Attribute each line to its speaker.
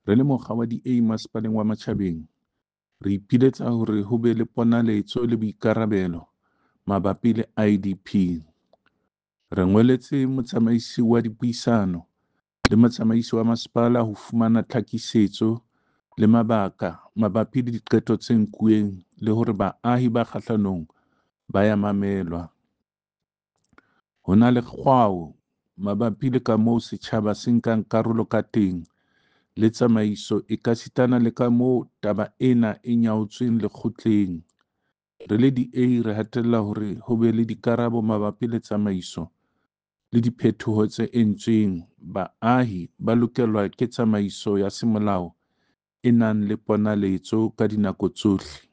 Speaker 1: Re le mokga wa DA Masepaleng wa Matjhabeng, re ipiletsa hore ho be le ponaletso le boikarabelo mabapi le IDP. Re ngoletse motsamaisi wa dipuisano le motsamaisi wa masepala ho fumana tlhakisetso le mabaka mabapi le diqeto tse nkuweng le hore baahi ba kgahlanong ba ya mamelwa. Ho na le kgwao mabapi le kamoo setjhaba se nkang karolo ka teng le tsamaiso ekasitana le kamoo taba ena e nyaotsweng lekgotleng. Re le DA re hatella hore ho be le dikarabo mabapi le tsamaiso le diphetoho tse entsweng. Baahi ba lokelwa ke tsamaiso ya semolao e nang le ponaletso ka dinako tsohle.